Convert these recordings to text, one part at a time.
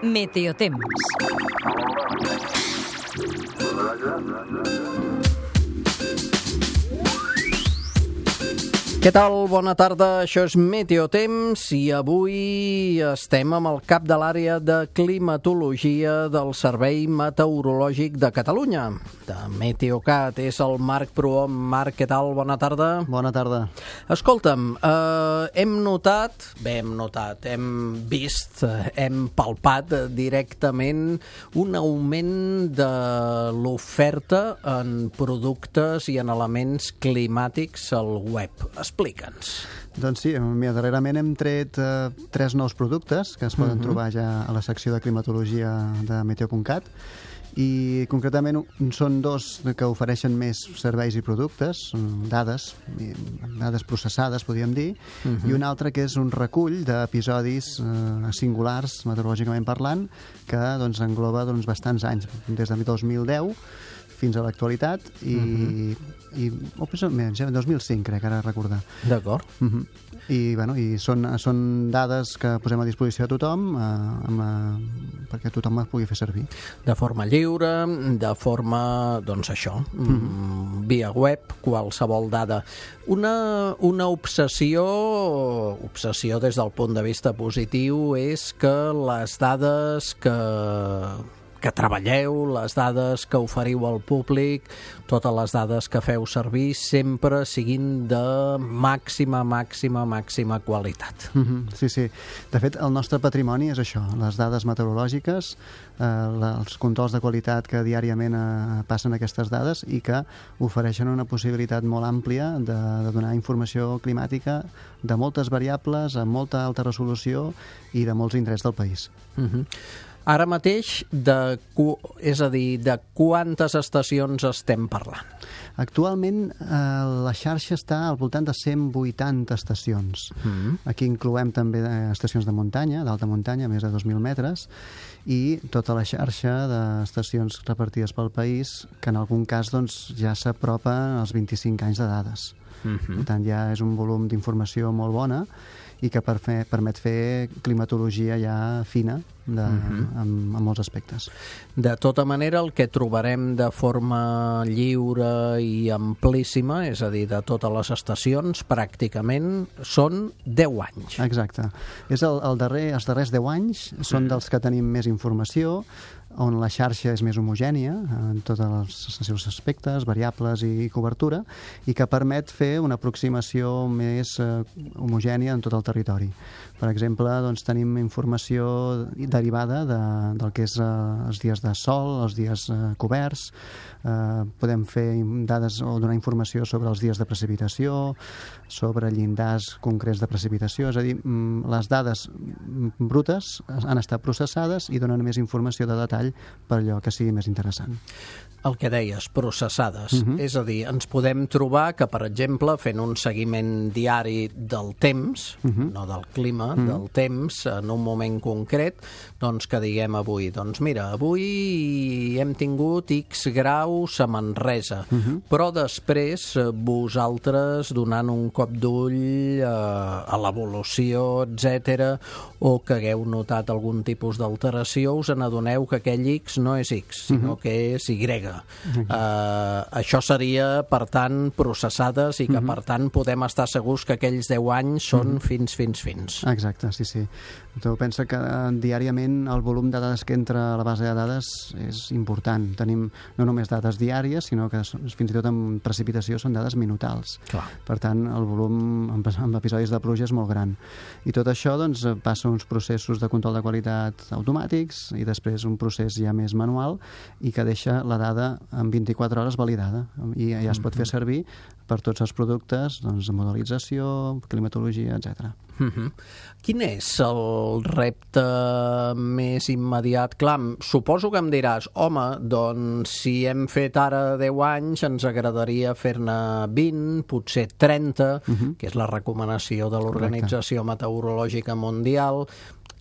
Meteotemps. Què tal? Bona tarda, això és Meteotemps i avui estem amb el cap de l'àrea de climatologia del Servei Meteorològic de Catalunya, de Meteocat. És el Marc Prohom. Marc, què tal? Bona tarda. Bona tarda. Escolta'm, hem vist, hem palpat directament un augment de l'oferta en productes i en elements climàtics al web. Explica'ns. Doncs sí, darrerament hem tret 3 nous productes que es poden trobar ja a la secció de climatologia de Meteo.cat i concretament són 2 que ofereixen més serveis i productes, dades processades, podríem dir, i un altre que és un recull d'episodis singulars, meteorològicament parlant, que doncs, engloba bastants anys, des de 2010 fins a l'actualitat i 2005, crec, ara recordar. D'acord. I són dades que posem a disposició de tothom perquè tothom les pugui fer servir. De forma lliure, de forma, doncs això, via web, qualsevol dada. Una obsessió des del punt de vista positiu és que les dades que treballeu, les dades que oferiu al públic, totes les dades que feu servir, sempre siguin de màxima qualitat. Sí. De fet, el nostre patrimoni és això, les dades meteorològiques, els controls de qualitat que diàriament passen aquestes dades i que ofereixen una possibilitat molt àmplia de donar informació climàtica de moltes variables, amb molta alta resolució i de molts indrets del país. Ara mateix, de quantes estacions estem parlant? Actualment, la xarxa està al voltant de 180 estacions. Aquí incloem també estacions de muntanya, d'alta muntanya, més de 2.000 metres, i tota la xarxa d'estacions repartides pel país, que en algun cas ja s'apropa als 25 anys de dades. Per tant, ja és un volum d'informació molt bona i que permet fer climatologia ja fina en molts aspectes. De tota manera, el que trobarem de forma lliure i amplíssima, és a dir, de totes les estacions, pràcticament són 10 anys. Exacte. Els darrers 10 anys són dels que tenim més informació, on la xarxa és més homogènia en tots els seus aspectes, variables i cobertura, i que permet fer una aproximació més homogènia en tot el territori. Per exemple, tenim informació derivada del que és els dies de sol, els dies coberts, podem fer dades o donar informació sobre els dies de precipitació, sobre llindars concrets de precipitació, és a dir, les dades brutes han estat processades i donen més informació de detall per allò que sigui més interessant. El que deies, processades. És a dir, ens podem trobar que, per exemple, fent un seguiment diari del temps, no del clima, del temps, en un moment concret, doncs que diguem avui, doncs mira, avui hem tingut X graus a Manresa, però després vosaltres donant un cop d'ull a l'evolució, etc., o que hagueu notat algun tipus d'alteració, us n'adoneu que aquell X no és X, sinó que és Y. Això seria, per tant, processades i que, per tant, podem estar segurs que aquells 10 anys són fins. Exacte, sí. Tu pensa que diàriament el volum de dades que entra a la base de dades és important. Tenim no només dades diàries, sinó que fins i tot en precipitació són dades minutals. Clar. Per tant, el volum en episodis de pluja és molt gran. I tot això passa uns processos de control de qualitat automàtics i després un procés ja més manual i que deixa la dada en 24 hores validada i ja es pot fer servir per tots els productes, modelització, climatologia, etc. Quin és el repte més immediat? Clar, suposo que em diràs, home, doncs si hem fet ara 10 anys ens agradaria fer-ne 20, potser 30, que és la recomanació de l'Organització Meteorològica Mundial.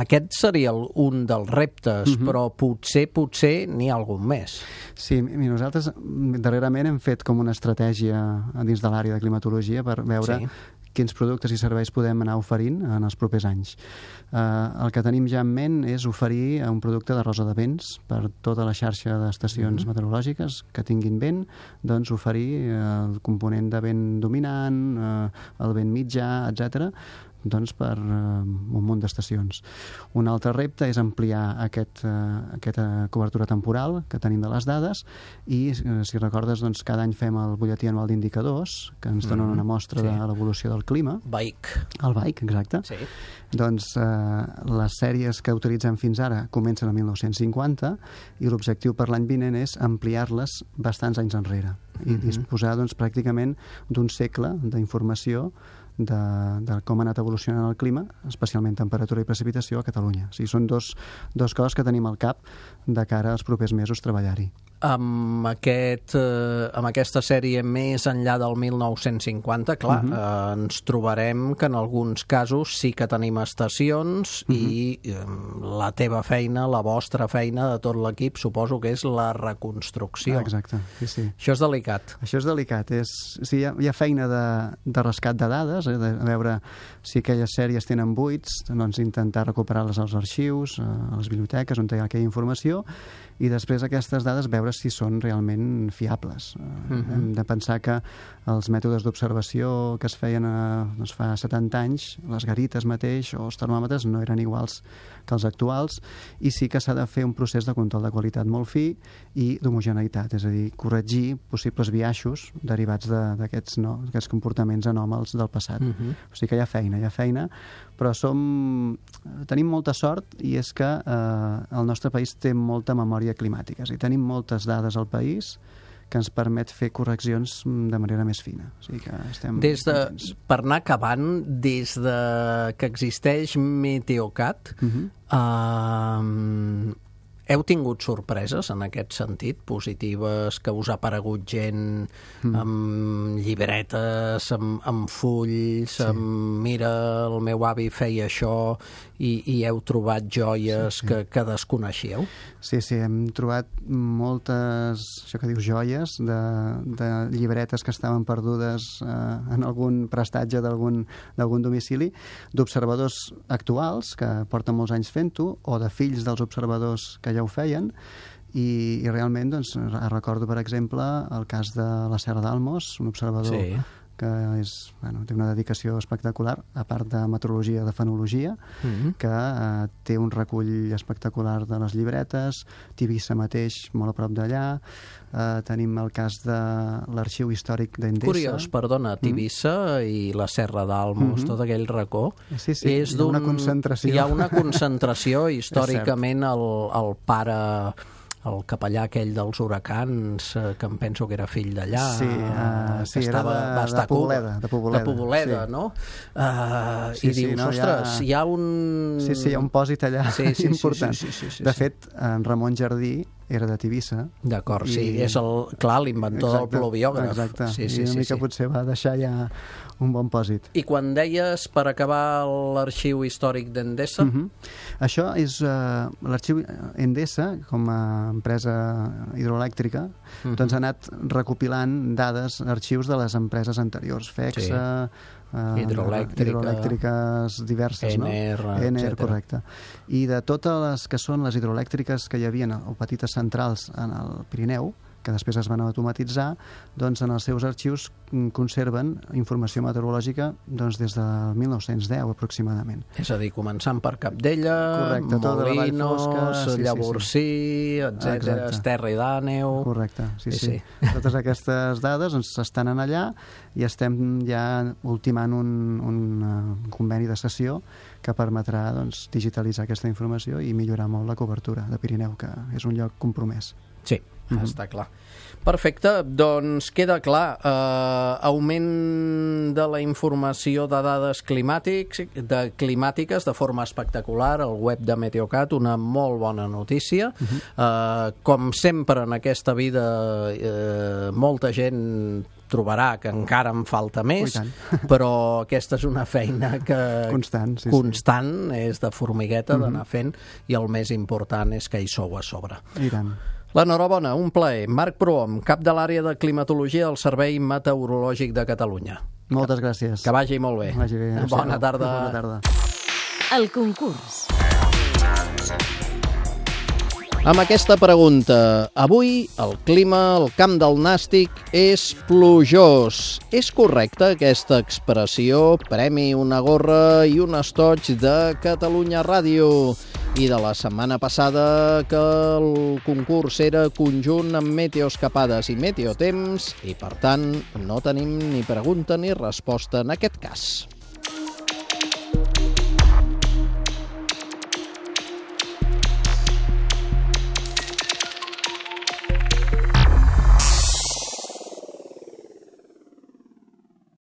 Aquest seria un dels reptes, però potser n'hi ha algun més. Sí, nosaltres darrerament hem fet com una estratègia dins de l'àrea de climatologia per veure quins productes i serveis podem anar oferint en els propers anys. El que tenim ja en ment és oferir un producte de rosa de vents per tota la xarxa d'estacions meteorològiques que tinguin vent, doncs oferir el component de vent dominant, el vent mitjà, etc., doncs per un munt d'estacions. Un altre repte és ampliar aquesta cobertura temporal que tenim de les dades i, si recordes, doncs, cada any fem el butlletí anual d'indicadors que ens donen una mostra de l'evolució del clima. BAIC. El BAIC, exacte. Sí. Doncs les sèries que utilitzem fins ara comencen a 1950 i l'objectiu per l'any vinent és ampliar-les bastants anys enrere i disposar doncs, pràcticament d'un segle d'informació de com ha anat evolucionant el clima, especialment temperatura i precipitació a Catalunya. O sigui, són dos coses que tenim al cap de cara als propers mesos treballar-hi. Amb aquesta sèrie més enllà del 1950, clar, ens trobarem que en alguns casos sí que tenim estacions i la teva feina, la vostra feina de tot l'equip, suposo que és la reconstrucció. Exacte, sí. Això és delicat. Això és delicat. Hi ha feina de rescat de dades, de veure si aquelles sèries tenen buits, doncs intentar recuperar-les als arxius, a les biblioteques on hi ha aquella informació, i després aquestes dades veure si són realment fiables. Hem de pensar que els mètodes d'observació que es feien doncs fa 70 anys, les garites mateix o els termòmetres no eren iguals que els actuals, i sí que s'ha de fer un procés de control de qualitat molt fi i d'homogeneïtat, és a dir, corregir possibles biaixos derivats d'aquests comportaments anòmals del passat. O sigui que hi ha feina, però tenim molta sort, i és que el nostre país té molta memòria climàtica, és a dir, tenim moltes dades al país que ens permet fer correccions de manera més fina. O sigui que estem contents. Per anar acabant, des que existeix Meteocat, heu tingut sorpreses en aquest sentit, positives, que us ha aparegut gent amb llibretes, amb fulls, mira, el meu avi feia això, i heu trobat joies que desconeixíeu? Sí, hem trobat moltes, això que dius, joies de llibretes que estaven perdudes en algun prestatge d'algun domicili, d'observadors actuals que porten molts anys fent-ho, o de fills dels observadors que ja ho feien, i realment doncs, recordo, per exemple, el cas de la Serra d'Almos, un observador que té una dedicació espectacular, a part de meteorologia, de fenologia, que té un recull espectacular de les llibretes, Tivissa mateix, molt a prop d'allà. Tenim el cas de l'Arxiu Històric d'Endesa. Curiós, perdona, Tivissa i la Serra d'Almos, tot aquell racó. Sí, hi ha una concentració. Hi ha una concentració, històricament el pare, el capellà aquell dels huracans, que em penso que era fill d'allà, que era de Poboleda. De Poboleda, no? I dius, ostres, hi ha un... Sí, hi ha un pòsit allà important. De fet, en Ramon Jardí era de Tivissa. D'acord, és l'inventor del pluviògraf. Exacte, i una mica potser va deixar ja un bon pòsit. I quan deies, per acabar, l'Arxiu Històric d'Endesa? Això és l'Arxiu Endesa, com a empresa hidroelèctrica, doncs ha anat recopilant dades, arxius de les empreses anteriors, FEXA, hidroelèctriques diverses, Ener, correcte. I de totes les que són les hidroelèctriques que hi havia o petites centrals en el Pirineu, que després es van automatitzar, doncs en els seus arxius conserven informació meteorològica doncs des del 1910 aproximadament. És a dir, començant per Capdella, Molinos, Llavorsí, etc., Esterri d'Àneu... Correcte, sí. Totes aquestes dades estan en allà i estem ja ultimant un conveni de cessió que permetrà digitalitzar aquesta informació i millorar molt la cobertura de Pirineu, que és un lloc compromès. Sí, està clar. Perfecte, doncs queda clar. Augment de la informació de dades climàtiques de forma espectacular al web de Meteocat, una molt bona notícia. Com sempre en aquesta vida, molta gent trobarà que encara en falta més, però aquesta és una feina que constant, és de formigueta d'anar fent, i el més important és que hi sou a sobre. I tant. L'enhorabona, un plaer. Marc Prohom, cap de l'àrea de climatologia del Servei Meteorològic de Catalunya. Moltes gràcies. Que vagi molt bé. Vagi bé. Bona tarda. Bona tarda. El concurs. Amb aquesta pregunta, avui el clima al Camp del Nàstic és plujós. És correcta aquesta expressió? Premi, una gorra i un estoig de Catalunya Ràdio. I de la setmana passada que el concurs era conjunt amb meteoescapades i meteotemps i, per tant, no tenim ni pregunta ni resposta en aquest cas.